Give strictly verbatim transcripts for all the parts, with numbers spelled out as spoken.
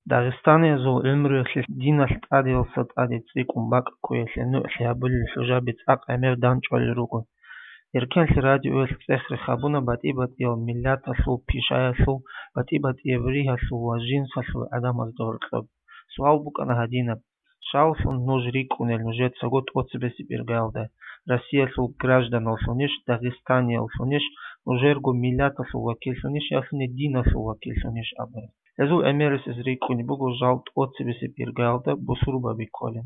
Дагъистаниязул гӀумруялъе диналъ тӀадеялъа тӀаде цӀикӀкӀун бакӀ ккоялъе нугӀлъи гьабулел хӀужаби цӀакъ гӀемер данчӀвалел руго. Эркенлъи радиоялъ цӀех-рех гьабуна батӀи-батӀиял миллаталъул, пишаялъул, батӀи-батӀияб ригьалъул ва жинсалъул гӀадамазда гьоркьоб. Суал букӀана гьадинаб: щавлъун нуж рикӀкӀунел нужецаго тӀоцебесеб иргаялда, Россиялъул гражданавлъунищ, дагъистаниявлъунищ, нужерго миллаталъул вакиллъунищ, ялъуни диналъул вакиллъунищ абун? Гьезул гӀемерисез рикӀкӀунеб буго жал тӀоцебесеб иргаялда бусурбаби кколин.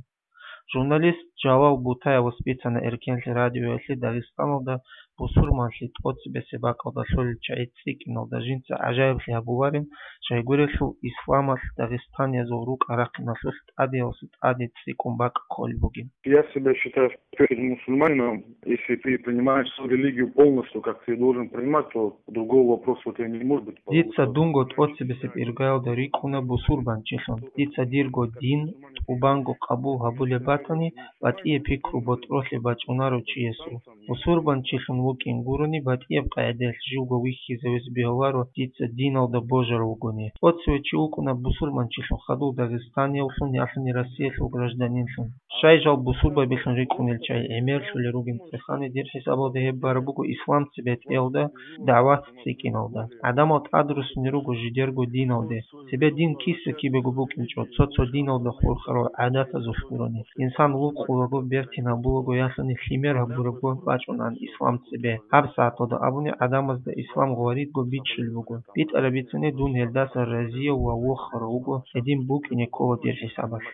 Журналист Жалал Бутаевас бицана Эркенлъи радиоялъе Дагъистаналда бусурманлъи тӀоцебесеб бакӀалда лъолел чагӀи цӀикӀкӀиналда жинца гӀажаиблъи гьабуларин, щайгурелъул исламалъ дагъистаниязул рукӀа-рахъиналъулъ тӀадеялъа тӀаде цӀикӀкӀун бакӀ кколеб бугин. Я себя считаю, в первую очередь, мусульманином. Если ты принимаешь свою религию полностью, как ты должен принимать, то другого вопроса у тебя не может быть по Дица этому дунго поводу. ТӀоцебесеб иргаялда рикӀкӀуна бусурбанчилъун. Дица дирго дин тӀубанго къабул гьабулеб батани, батӀияб пикру-ботӀролъи бачӀунаро чиясул. Бусурбанчилъун вукӀин гурони, батӀияб къагӀидаялъ живго вихьизавизе бегьуларо дица диналда божарав вугони. ТӀоцеве чи вукӀуна бусурбанчилъун хадув дагъистаниявлъун, ялъуни Россиялъул гражданинлъун. Щай жал бусурбабилъун рикӀкӀунел чагӀи гӀемерлъулел ругин цӀехани, дир хӀисабалда гьеб бараб буго ислам цебетӀеялда, дагӀват цӀикӀкӀиналда. ГӀадамал тӀадруссунел руго жидерго диналде. Цебе дин киса-кибего букӀинчӀо, цо-цо диналда хурхарал гӀадатазулъ гурони. Инсан вукъулаго, бертин гьабулаго, ялъуни лъимер гьабурабго бачӀунан ислам цебе. ГьабсагӀаталда абуни, гӀадамазда ислам гъваридго бичӀчӀулеб буго. БитӀараб бицани, дун гьелдаса разияв ва вохарав вуго, гьедин букӀине ккола дир хӀисабалъ.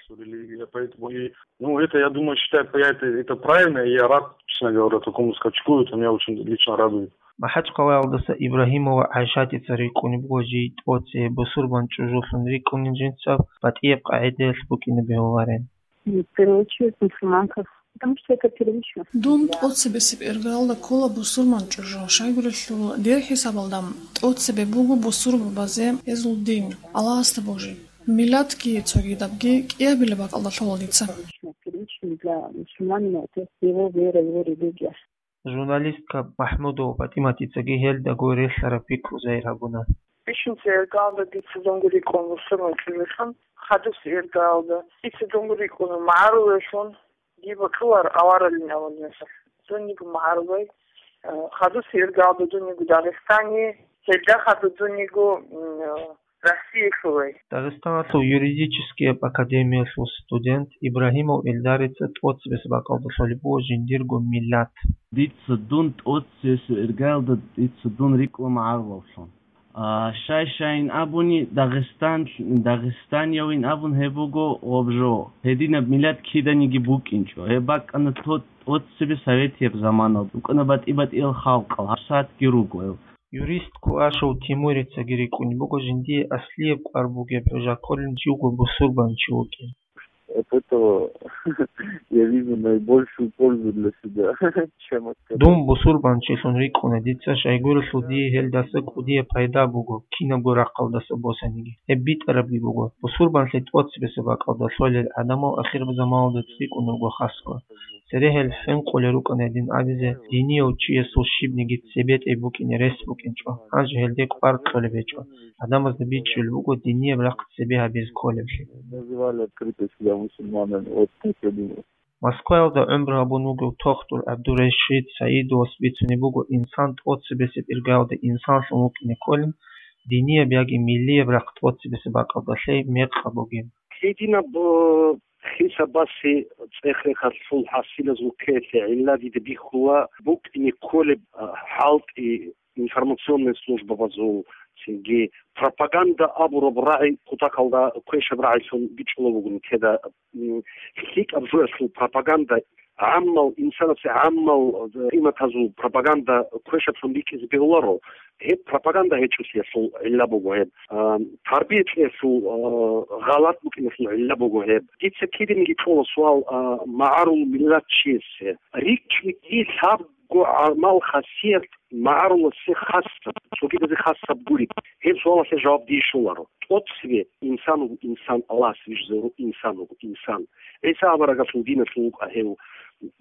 Ну, это, я думаю, считаю, я это, это правильно, и я рад, честно говоря, такому скачку, это меня очень лично радует. МахӀачхъалаялдаса Ибрагьимова ГӀайшатица рикӀкӀунеб буго жий тӀоцебе бусурбан чӀужулъун рикӀкӀунин жинца батӀияб къагӀидаялъ букӀине бегьуларин. В первую очередь мусульманка, потому что это первично. Дун тӀоцебесеб иргаялда ккола бусурман чӀужу, щайгурелъул дир хӀисабалда тӀоцебе буго бусурбабазе гьезул дин, Аллагьасда божи. Миллатги цогидабги кӀиабилеб бакӀалда лъола дица. Первично для мусульманина это его вера, его религия. Журналистка МахӀмудова ПатӀиматицаги гьелдаго релълъараб пикру загьир гьабуна. Бищунца иргаялда дица дунго рикӀкӀун бусурман чӀужулъун, хадуси иргаялда дица дунго рикӀкӀуна магӀарулеллъун, диба кьулар аваралин авал нусалъ. Дун йиго магӀарулай, э, хадуси иргаялда дун йиго Дагъистани, гьелда хадуб дун йиго, м, э, Россиялъулай. Дагъистаналъул юридическияб академиялъул студент Ибрагьимов Эльдарица тӀоцебесеб бакӀалда лъолеб буго жиндирго миллат. Дица дун тӀоцебесеб иргаялда дица дун рикӀкӀуна магӀарулавлъун. А, щай-щайин абуни, Дагъистан, дагъистаниявин абун гьеб буго гъоб жо. Гьединаб миллат киданиги букӀинчӀо. Гьеб бакӀана тӀо-, тӀоцебе советияб заманалда. БукӀана батӀи-батӀиял халкъал, гьабсагӀатги руго гьел. Юрист Куашев Тимурицаги рикӀкӀунеб буго жиндие аслияб кӀвар бугеб хӀужа кколин живго бусурбанчи вукӀин. От этого я вижу наибольшую пользу для себя, чем от кого. Дун бусурбанчилъун рикӀкӀуна дица, щайгурелъул дие гьелдаса кӀудияб пайда буго, кинабго рахъалдаса босаниги. Гьеб битӀарабги буго. Бусурбанлъи тӀоцебесеб бакӀалда лъолел гӀадамал ахирзаманалда цӀикӀкӀун руго хасго. Цере гьел хӀинкъулел рукӀана гьедин абизе, динияв чиясул щибниги цебетӀей букӀине рес букӀинчӀо, гьанже гьелде кӀвар кьолеб гьечӀо. ГӀадамазда бичӀчӀулеб буго динияб рахъ цебе гьабизе кколеблъи. Называли открыто себя мусульманами. Вот так я думаю. Москваялда гӀумру гьабун вугев тохтур ГӀабдурашид Саидовас бицунеб буго, инсан тӀоцебесеб иргаялда инсанлъун вукӀине кколин, динияб яги миллияб рахъ тӀоцебесеб бакӀалда лъей мекъаб бугеб. Гьединаб, э, хисабасе цӀех-рехалъул хӀасилазул ккеялъе гӀилла дида бихьула букӀине кколеб, э, хӀалтӀи информационная службабазул, цинги пропаганда абураб рагӀи кутакалда квешаб рагӀилъун бичӀчӀулеб бугин теда, м, лъикӀаб жоялъул пропаганда гӀаммал, инсанасе гӀаммал, э, къиматазул пропаганда квешаблъун бикӀизе бегьуларо. Гьеб пропаганда гьечӀолъиялъул гӀилла буго гьеб. А, тарбия кьеялъул, а, гъалат букӀиналъул гӀилла буго гьеб. Дица киданиги кьола суал, а, магӀарул миллатчиясе. РикӀкӀиги лъабго гӀамал-хасият магӀаруласе хасаб, цогидазе хасаб гуреб. Гьеб суалалъе жаваб дие щоларо. ТӀоцеве инсан вуго инсан, Аллагьас вижизавурав инсан вуго инсан. ГӀиса аварагасул диналъул вукӀа гьев,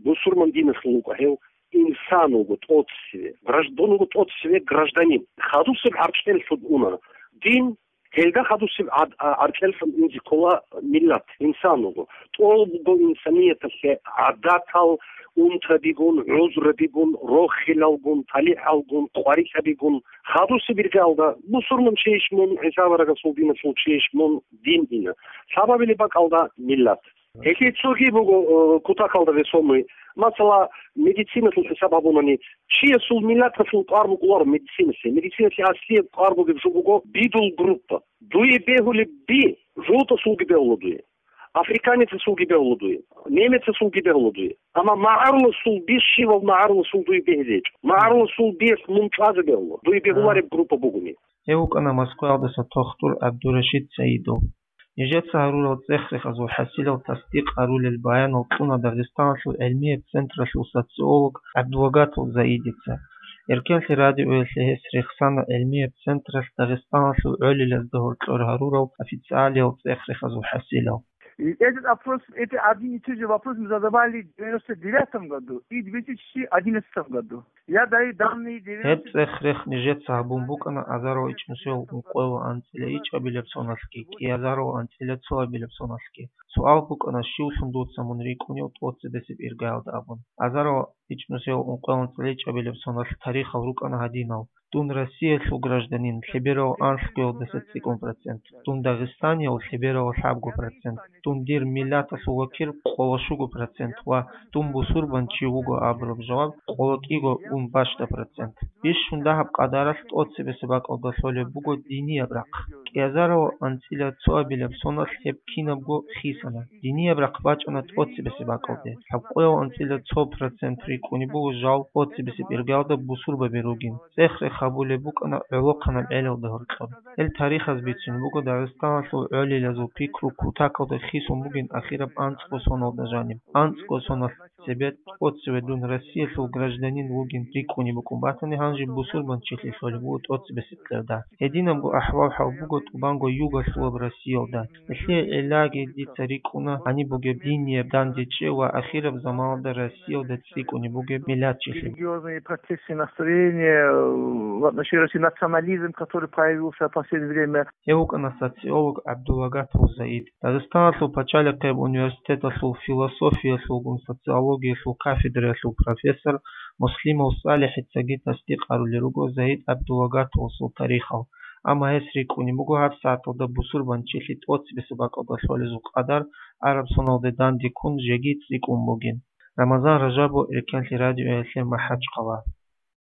бусурман диналъул вукӀа гьев, инсан вуго тӀоцеве. Гражд-, дун вуго тӀоцеве гражданин. Хадусеб гӀаркьеллъун уна. Дин Гьелда хадусеб гӀад-, а-, аркьеллъун инзе ккола миллат, инсан вуго. ТӀолабго инсанияталъе гӀадатал, унтабигун, гӀузрабигун, рохилалгун, талихӀалгун, къварилъабигун. Хадусеб иргаялда бусурман чейищ мун, ГӀиса аварагасул диналъул чейищ мун, дин ина. Лъабабилеб бакӀалда миллат. Гьелъие цоги буго, э, кутакалда весомый. Масала, медициналъул хӀисаб гьабунани, чиясул миллаталъул кӀвар букӀуларо медициналъе. Медициналъе аслияб кӀвар бугеб жо буго бидул группа. Дуе бегьулеб би жолтасулги бегьула дуе. Африканецасулги бегьула дуе. Немецасулги бегьула дуе. Амма магӀаруласул би, щивав магӀаруласул дуе бегьизечӀо. МагӀаруласул биялъ мун чӀвазе бегьула, дуе бегьулареб группа бугони. Гьев вукӀана Москваялдаса тохтур ГӀабдурашид Саидов. Нижеца гьарурал цӀех-рехазул хӀасилал тасдикъ гьарулел баянал кьуна Дагъистаналъул гӀилмияб централъул социолог ГӀабдулагатов Заидица. Эркенлъи радиоялъе гьес рехсана гӀилмияб централъ Дагъистаналъул гӀолилазда гьоркьор гьарурал официалиял цӀех-рехазул хӀасилал. И этот вопрос, это один и тот же вопрос мы задавали в девяносто девятом году и две тысячи одиннадцатом году. Я даю данные девяносто... Гьеб цӀех-рех нижеца гьабун букӀана азарал ичӀнусиял ункъоялда анцӀила ичӀабилеб соналъги, кӀиазарал анцӀила цоабилеб соналъги. Суал букӀана, щивлъун дуца мун рикӀкӀунев тӀоцебесеб иргаялда абун. Азарал ичӀнусиял ункъоялда анцӀила ичӀабилеб соналъ тарихал рукӀана гьадинал: дун Россиялъул гражданин лъеберал анлъгоялдаса цӀикӀкӀун процент, дун дагъистанияв лъеберал лъабго процент, дун дир миллаталъул вакил къоло щуго процент ва дун бусурбанчи вуго абураб жаваб къоло кӀиго ун бащда процент. Бищун дагьаб къадаралъ тӀоцебесеб бакӀалда лъолеб буго динияб рахъ. КӀиазарал анцӀила цоабилеб соналъ гьеб кинабго хисана. Динияб рахъ бачӀана тӀоцебесеб бакӀалде. Лъабкъоял анцӀила цо процент рикӀкӀунеб буго жал тӀоцебесеб иргаялда бусурбаби ругин. ЦӀех-рех гьабулеб букӀана гӀолохъанаб гӀелалда гьоркьоб. Гьел тарихаз бицун буго Дагъистаналъул гӀолилазул пикру кутакалда хисун бугин ахираб анцӀго соналда жаниб. АнцӀго соналъ цебе тӀоцеве дун Россиялъул гражданин вугин рикӀкӀунеб букӀун батани, гьанже бусурбанчилъи лъолеб буго тӀоцебесеб кьерда. Гьединабго ахӀвал-хӀал буго тӀубанго югалъулаб Россиялда. Гьелъие гӀиллаги дица рикӀкӀуна гьаниб бугеб динияб дандечӀи ва ахираб заманалда Россиялда цӀикӀкӀунеб бугеб миллатчилъи. Религиозные протесты, настроения, э, в отношении России, национализм, который появился в последнее время. Гьев вукӀана социолог ГӀабдулагатов Заид. Дагъистаналъул пачалихъияб университеталъул философиялъулгун социологиялъул кафедраялъул профессор Муслимов СалихӀицаги тасдикъ гьарулел руго Заид ГӀабдулагатовасул тарихал, амма гьес рикӀкӀунеб буго гьабсагӀаталда бусурбанчилъи тӀоцебесеб бакӀалда лъолезул къадар араб соналде данде ккун жеги цӀикӀкӀун бугин. Рамазан Ражабов, Эркенлъи радиоялъе, МахӀачхъала.